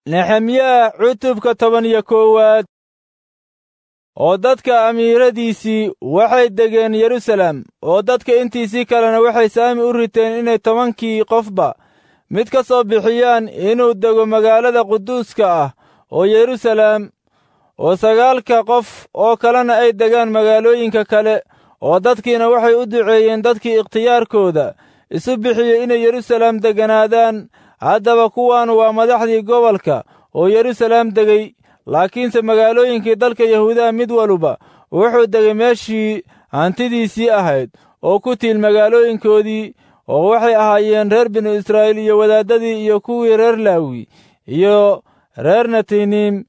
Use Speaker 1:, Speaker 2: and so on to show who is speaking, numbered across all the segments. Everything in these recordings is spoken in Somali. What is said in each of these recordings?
Speaker 1: Nexemyaah cutubka 11aad. Oo dadka amiiradiisii waxay degeen Yeruusaalem, oo dadka intiisii kalena waxay saami u riteen inay 10kii qofba mid ka soo bixiyaan inuu dego magaalada quduuska ah oo Yeruusaalem, oo 9ka qof oo kalena ay degaan magaalooyinka kale. Oo dadkiina waxay u duceeyeen dadkii ikhtiyaarkooda isu bixiyey inay Yeruusaalem degganaadaan. Haddaba kuwaanu waa madaxdii gobolka oo Yeruusaalem degay, laakiinse magaalooyinkii dalka Yahuudaha mid waluba wuxuu degay meeshii hantidiisii ahayd oo ku tiil magaalooyinkoodii. Oo waxay ahaayeen reer binu Israa'iil iyo wadaaddadii iyo kuwii reer Laawi iyo reer Netinim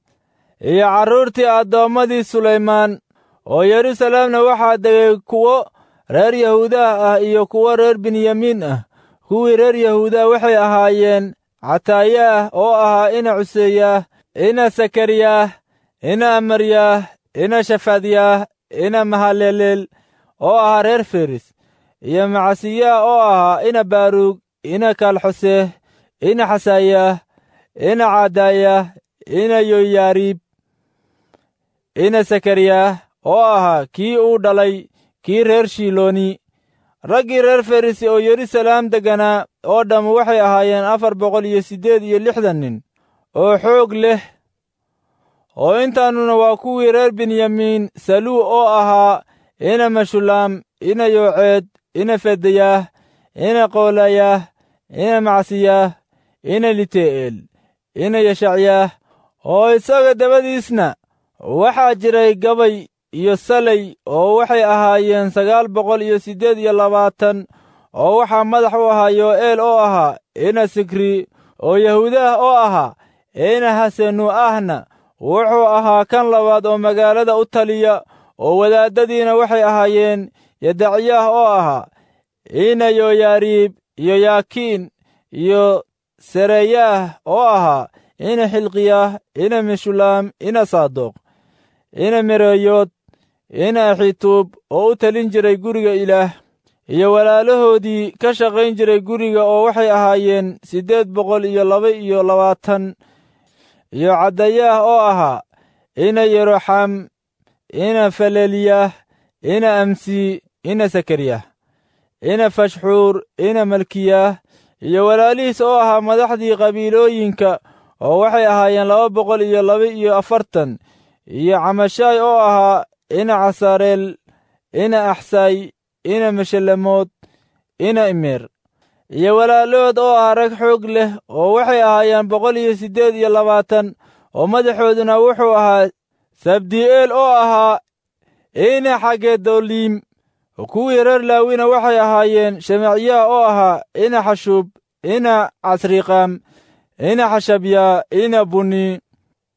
Speaker 1: iyo carruurtii addoommadii Sulaymaan. Oo Yeruusaalemna waxaa degay kuwo reer Yahuudaha ah iyo kuwo reer Benyamiin ah. Kuwii reer Yahuudaha waxay ahaayeen Cataayaah oo ahaa ina Cuseeyaah, ina Sakariyaah, ina Amaryaah, ina Shafadyaah, ina Mahaleleel oo ahaa reer Feris, iyo Macasiyaah oo ahaa ina Baaruug, ina Kalxoseh, ina Xasaayaah, ina Cadayaah, ina Yoyaariib, ina Sakariyaah oo ahaa kii uu dhalay kii reer Shilooni. Raggii reer Farisi oo Yeruusaalem degganaa oo dhammu waxay ahaayeen 468 nin oo xoog leh. Oo intaanuna waa kuwii reer Benyamiin: Saluu oo ahaa ina Meshulaam, ina Yooceed, ina Fedayaah, ina Qoolayaah, ina Macsiyaah, ina Lite'eel, ina Yeshacyaah. Oo isaga dabadiisna waxaa jiray Gabay iyo Salay oo waxay ahaayeen 928. Oo waxaa madax u ahaa Yo'eel oo ahaa ina Sikri, oo Yahuudaah oo ahaa ina Hasenu'ahna wuxuu ahaa kan labaad oo magaalada u taliya. Oo wadaaddadiina waxay ahaayeen Yedacyaah oo ahaa ina Yoyaariib, iyo Yaakiin, iyo Sereyaah oo ahaa ina Xilqiyaah, ina Meshulaam, ina Saadoq, ina Mereyood, ina Axituub oo u talin jiray guriga Ilaah, iyo walaalahoodii ka shaqayn jiray guriga oo waxay ahaayeen 822. Iyo Caddayaah oo ahaa ina Yeroxam, ina Falelyaah, ina Amsi, ina Sakaryaah, ina Fashxuur, ina Malkiyaah, iyo walaalihiis oo ahaa madaxdii qabiilooyinka oo waxay ahaayeen 242. Iyo Camashaay oo ahaa ina Casareel, ina Axsay, ina Meshelamood, ina Imeer, iyo walaalahood oo ahaa rag xoog leh oo waxay ahaayeen 128. Oo madaxooduna wuxuu ahaa Sabdi'eel oo ahaa ina Xagedoliim. Kuwii reer Laawina waxay ahaayeen Shemacyaah oo ahaa ina Xashuub, ina Casriqaam, ina Xashabyaa, ina Buni,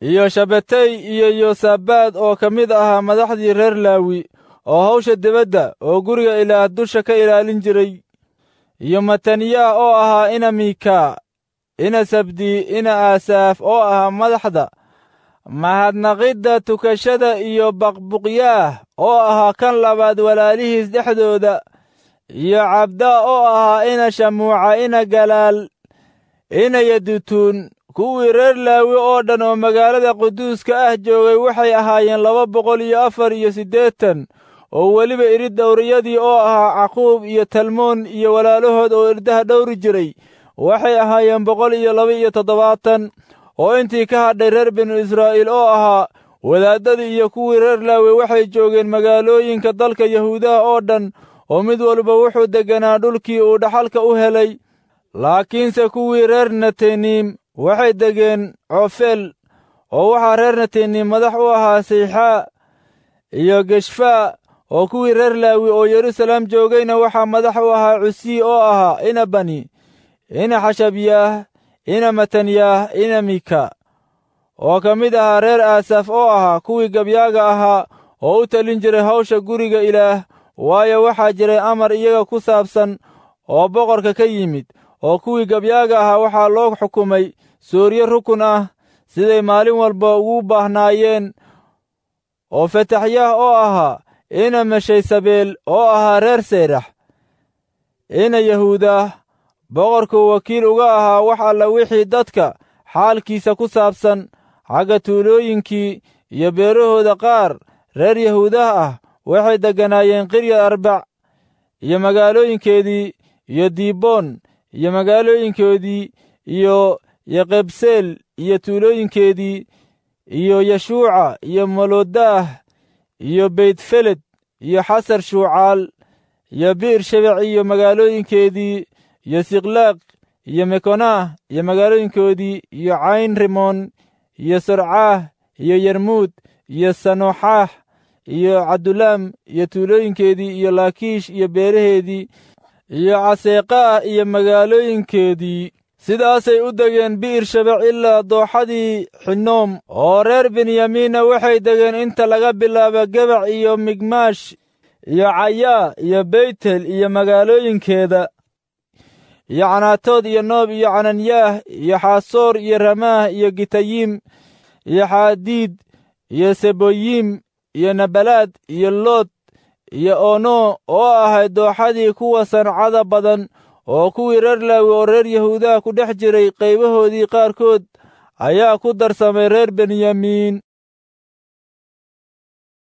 Speaker 1: iyo Shabetay iyo Yosabaad oo ka mid ahaa madaxdii reer Laawi oo hawsha dibadda oo guriga Ilaah dusha ka ilaalin jiray. Iyo Mataniyaah oo ahaa ina Miika, ina Sabdi, ina Aasaaf oo ahaa madaxda mahadnaqidda tukashada, iyo Baqbuqyaah oo ahaa kan labaad walaalihiis dhexdooda, iyo Cabdaa oo ahaa ina Shamuuca, ina Galaal, ina Yedutuun. Kuwii reer Laawi oo dhan oo magaalada quduuska ah joogay waxay ahaayeen 284. Oo weliba irid dhowriyadii oo ahaa Caquub iyo Talmoon iyo walaalahood oo irdaha dhowri jiray waxay ahaayeen 172. Oo intii ka hadhay reer binu Israa'iil oo ahaa wadaaddadii iyo kuwii reer Laawi waxay joogeen magaalooyinka dalka Yahuudaha oo dhan, oo mid walba wuxuu degganaa dhulkii uu dhaxalka u helay. Laakiinse kuwii reer Neteniim waxay degeen Coofeel, oo waxaa reer Neteniim madax u ahaa Seyxaa iyo Geshfaa. Oo kuwii reer Laawi oo Yeruusaalem joogayna waxaa madax u ahaa Cusii oo ahaa ina Bani, ina Xashabyaah, ina Matanyaah, ina Mika, oo ka mid ahaa reer Aasaf oo ahaa kuwii gabyaaga ahaa oo u talin jiray hawsha guriga Ilaah. Waayo, waxaa jiray amar iyaga ku saabsan oo boqorka ka yimid. Oo kuwii gabyaaga ahaa waxaa loo xukumay sooryo rukun ah siday maalin walba ugu baahnaayeen. Oo Fetaxyaah oo ahaa ina Meshaysabeel oo ahaa reer Seyrax, ina Yahuudah, boqorkuu wakiil uga ahaa wax alla wixii dadka Xaalkiisa ku saabsan xagga tuulooyinkii iyo beerahooda qaar reer Yahuudaha ah waxay degganaayeen Qiryad Arbac iyo magaalooyinkeedii, iyo Diiboon iyo magaalooyinkoodii, iyo Yeqebseel iyo tuulooyinkeedii, iyo Yeshuuca iyo Molodaah iyo Beytfeled iyo Xasar Shuucaal iyo Bi'r Shebec iyo magaalooyinkeedii, iyo Siklaaq iyo Mekonaah iyo magaalooyinkoodii, iyo Cayn Rimoon iyo Sorcaah iyo Yermuud iyo Sanoxaah iyo Cadulaam iyo tuulooyinkeedii, iyo Laakiish iyo beeraheedii, iyo Caseeqaah iyo magaalooyinkeedii. Sidaasay u degeen Bi'ir Shebec ilaa dooxadii Xinoom. Oo reer Benyamiinna waxay degeen inta laga bilaabo Gebac iyo Migmaash iyo Cayaa iyo Beytel iyo magaalooyinkeeda, iyo Canaatood iyo Noob iyo Cananyaah iyo Xaasoor iyo Ramaah iyo Gitayim iyo Xaadiid iyo Seboyim iyo Nabalaad iyo Lood iyo Ono oo ahayd dooxadii kuwa sancada badan. Oo kuwii reer Laawi oo reer Yahuudaha ku dhex jiray qaybahoodii qaarkood ayaa ku darsamay reer Benyamiin.